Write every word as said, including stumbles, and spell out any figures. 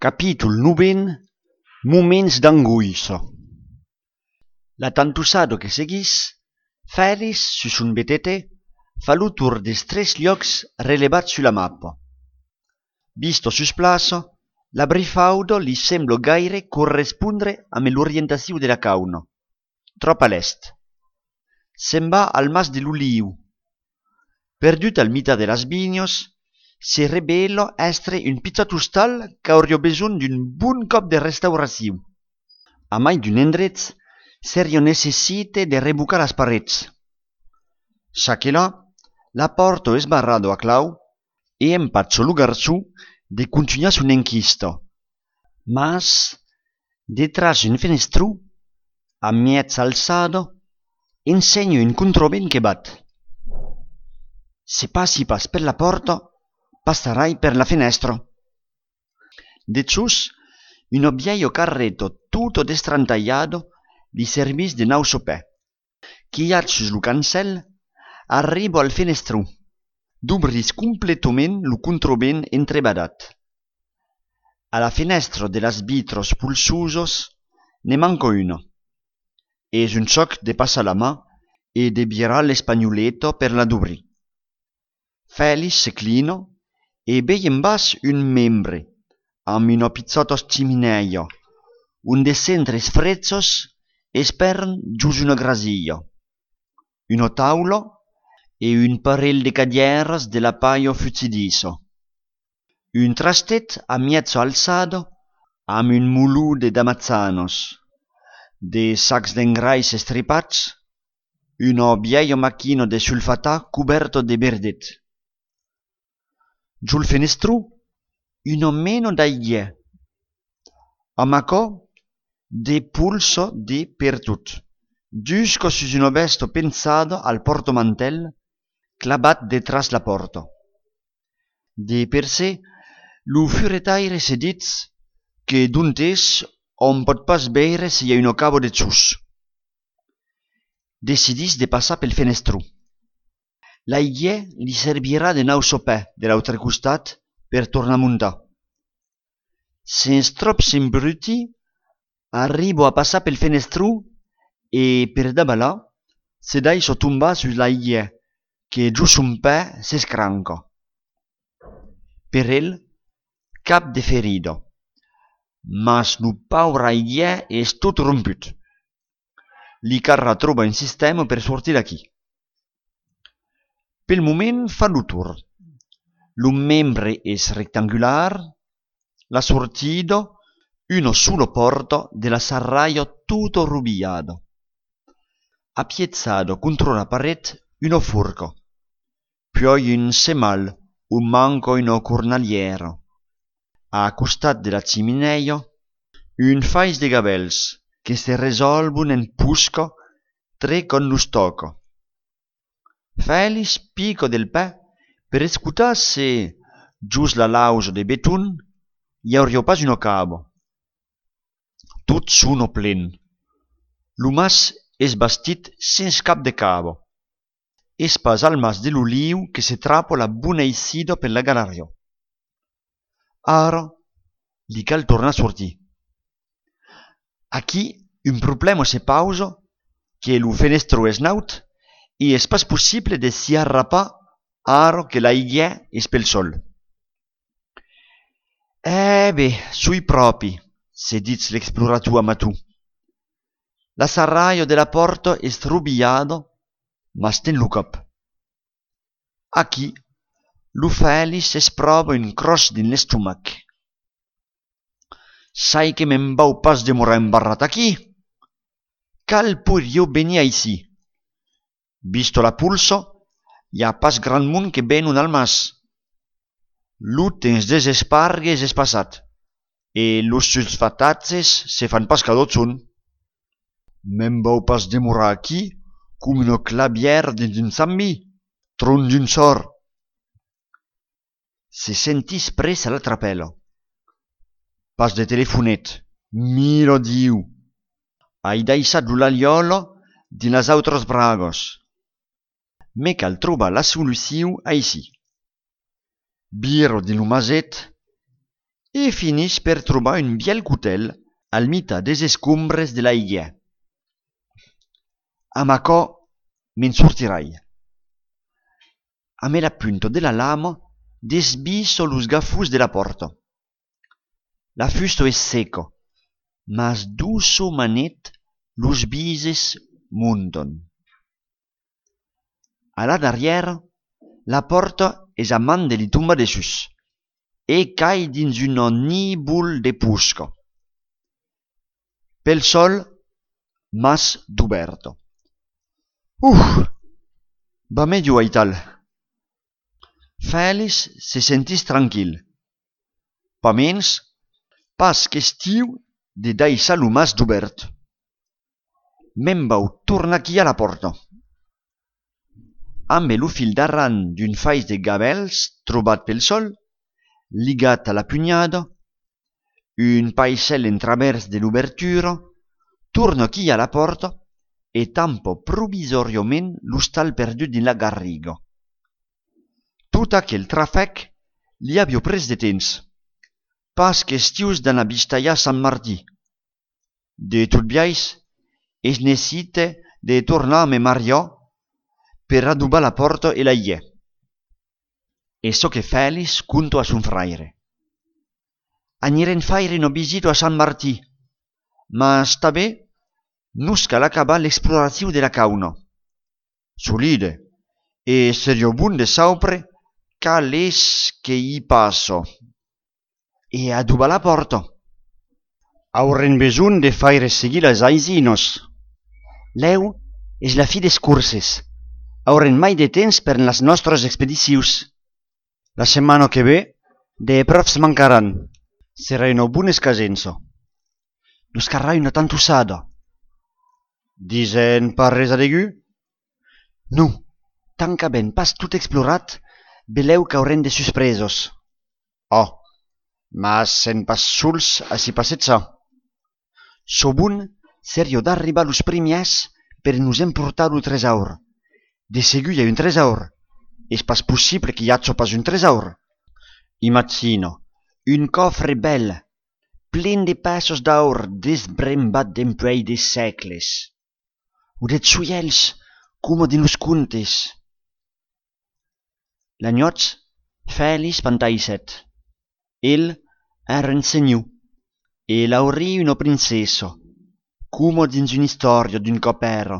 Capítol novent. Moments d'angoissa. La tantossada que seguís, Fèlix, sus son B T T, fa lo torn dels tres luòcs relevats sus la mapa. Vista sus plaça, la brifauda li sembla gaire correspondre amb l'orientacion de la cauna. Tròp a l'èst. Se'n va al Mas de l'Oliu. Perdut al mitan de las vinhas, se revèla èstre un pichòt ostal qu'auriá besonh d'un bon còp de restauracion. A mai d'un endrech, seriá necessite de revocar las parets. Çaquelà, la pòrta es barrada a clau e empacha lo garçon de contunhar son enquista. Mas, detràs un fenestron, a mièja alçada, ensenha un contravent que bat. Se passi pas per la pòrta, passarai per la fenèstra. Dejós, una vièlha carreta tota destrantalhada li servís de nausa pè. Quilhat sus lo cancèl, arriba al fenestron, dobrís completament lo contravent entrebadat. A la fenèstra de las vitras polsosas ne manca una. Es un chòc de passar la man e de virar l'espanholeta per la dobrir. Fèlix se clina e vei en bas un membre amb una pichòta chiminèia, ont de cendres frechas espèran jos una grasilha, una taula e un parelh de cadièras de la palha fugidissa. Un trastet a mièja alçada amb un molon de damajanas, de sacs d'engrais estripats, una vièlha maquina de sulfatar cobèrta de verdet. Jol fenestron, una mena d'aiguièr. Amb aquò, de polsa de pertot, jusca sus una vèsta penjada al pòrtamantèl clavat detràs la pòrta. De per se, lo furetaire se ditz que d'ont es òm pòt pas veire se i a una cava dejós. Decidís de passar pel fenestron. L'aiguièr li servirà de nausa pè de l'autre costat per tornar montar. Sens tròp s'embrutir, arriba a passar pel fenestron e, per davalar, se daissa tombar sus l'aiguièr que jos son pè s'escranca. Per el, cap de ferida. Mas lo paure aiguièr es tot romput. Li calrà trobar un sistèma per sortir d'aquí. Pel moment fa lo torn. Lo membre es rectangular, la sortida, una sola pòrta de la sarralha tota robilhada. Apiechada contra la paret, una forca. Puèi un semal ont manca una cornalièra. A costat de la chiminèia, un fais de gavèls que se resòlvon en posca tre quand los tòca. Fèlix pica del pè per escotar se, jos la lausa de beton, i auriá pas una cava. Tot sona plen. Lo mas es bastit sens cap de cava. Es pas al Mas de l'Oliu que se trapa la bona eissida per la galariá. Ara, li cal tornar sortir. Aquí, un problèma se pausa, que lo fenestron es naut e es pas possible de s'i arrapar ara que l'aiguièr es pel sòl. E ben, soi pròpi, se ditz l'explorator amator. La sarralha de la pòrta es robilhada, mas ten lo còp. Aquí, lo Fèlix es pròva un cròs dins l'estomac. Sai que me'n vau pas demorar embarrat aquí. Qual poiriá venir aicí? Vista la polsa, i a pas grand mond que venon al mas. Lo temps dels espargues es passat e los sulfatatges se fan pas cada jorn. Me'n vau pas demorar aquí com una clavièra dins un chambi, tron d'un sòrt. Se sentís pres a la trapèla. Pas de telefonet, mira Diu! Ai daissat lo laliòla dins las autras bragas. Me cal trobar la solucion aicí. Vira dins lo maset e finís per trobar un vièlh cotèl al mitan des escombres de l'aigièr. Amb aquò, me'n sortirai. Amb la punta de la lama, desvissa los gafons de la pòrta. La fusta es seca, mas doçamanet los bises montan. A la darrièra, la pòrta es a mand de li tombar dessús e cai dins una nívol de posca. Pel sòl, mas dubèrta. Uf! Va melhor aital. Fèlix se sentís tranquil. Pasmens, pas question de daissar lo mas dubèrt. Me'n vau tornar quilhar la pòrta. Ambe lo fil d'aran d'un fais de gavèls trobat pel sòl, ligat a la punhada, un paissèl en travèrs de l'obertura, torna quilhar la pòrta e tampa provisòriament l'ostal perdut dins la garriga. Tot aquel trafèc li aviá pres de temps. Pas question d'anar vistalhar Sant Martin. De tot biais, es necite de tornar me mariar per adobar la pòrta e l'aigièr. Es çò que Fèlix conta a son fraire. Anirem faire una visita a Sant Martin, mas tanben nos cal acabar l'exploracion de la cauna. Solide, e seriá bon de saupre qual es que i passa. E adobar la pòrta. Aurem besonh de faire seguir las aisinas. Lèu es la fin des corses. Aurem mai de temps per las nòstras expedicions. La setmana que ve, de pròfs mancaràn. Serà una bona escasença. Nos calrà una tantossada. Disen pas res a degun? Non, tant qu'avèm pas tot explorat, belèu qu'aurem de suspresas. Ò, mas sèm pas sols a si passejar. Çò bon seriá d'arribar los primièrs per nos emportar lo tresaur. De segur i a un tresaur. Es pas possible que i aja pas un tresaur. Imagina, un còfre bèl, plen de pèças d'aur desbrembat dempuèi de sègles. O de joièls, coma dins los contes. La nuèch, Fèlix fantaisèt. El èra un senhor, e Laurin una princessa, coma dins una istòria d'un còp èra.